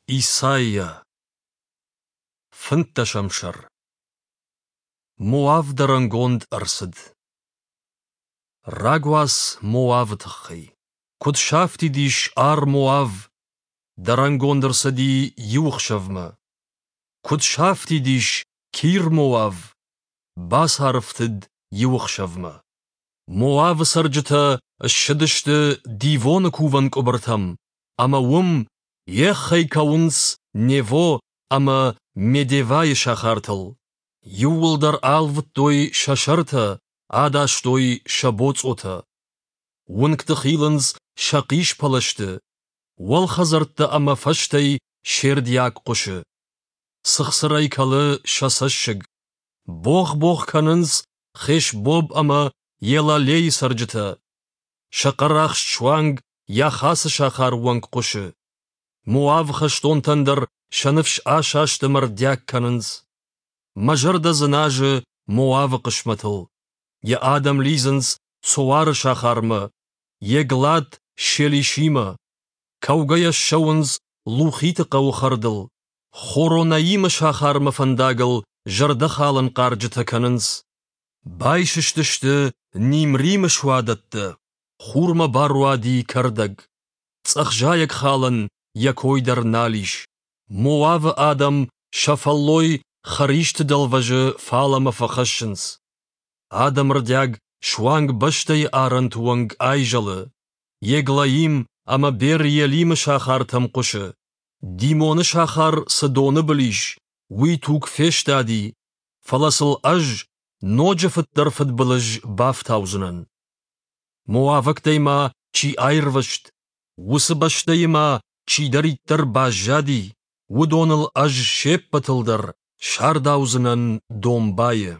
Исайа. Фынддӕсӕм сӕр. Моав дӕрӕнгонд ӕрцыд. Рагуац Моавы тыххӕй. Куыд сафтид ис Ар-Моав, дӕрӕнгонд ӕрцыди иу ӕхсӕвмӕ. Куыд сафтид ис Кир-Моав, бацарӕфтыд иу ӕхсӕвмӕ. Моавы цӕрджытӕ ссыдысты Дивоны кувӕн къуыбыртӕм, ӕмӕ уым еххӕй кӕуынц Нево ӕмӕ Медевайы сахартыл. Иууылдӕр алвыдтой сӕ сӕртӕ, адастой сӕ боцъотӕ. Уынгты хилынц сӕ хъиспӕлӕзты, уӕлхӕдзӕрттӕ ӕмӕ фӕзтӕй се рдиаг хъуысы. Цыхцырӕй кӕлы сӕ цӕссыг. Богъ-богъ кӕнынц Хешбоб ӕмӕ Елалейы цӕрджытӕ. Сӕ хъӕрахст суанг Яхацы сахары онг хъуысы. Моавы хӕстонтӕн дӕр сӕ ныфс асаст ӕмӕ рдиаг кӕнынц. Мӕ зӕрдӕ дзыназы Моавы хъысмӕтыл. Йӕ адӕм лидзынц Цоары сахармӕ, Еглат Шелишимӕ. Кӕугӕйӕ ссӕуынц Лухиты хъӕуы хӕрдыл. Хоронаимы сахармӕ фӕндагыл зӕрдӕхалӕн хъарджытӕ кӕнынц. Байсыстысты Нимримы суадӕттӕ, хурмӕ баруади кӕрдӕг. Цъӕх зайӕгхалӕн йӕ кой дӕр нал ис. Моавы адӕм сӕ фӕллой хӕристы дӕлвӕзы фалӕмӕ фӕхӕссынц. Адӕмы рдиаг суанг бӕстӕйы арӕнты онг айзӕлы. Еглаим ӕмӕ Бер-Елимы сахартӕм хъуысы. Димоны сахар цы доны был ис, уый туг фестади, фӕлӕ сыл ӕз ноджы фыддӕр фыдбылыз бафтаудзынӕн. Моавӕгтӕй ма чи аирвӕзт, уыцы бӕстӕйы ма чидӕриддӕр баззади, уыдоныл ӕз се ппӕтыл дӕр сардаудзынӕн домбайы.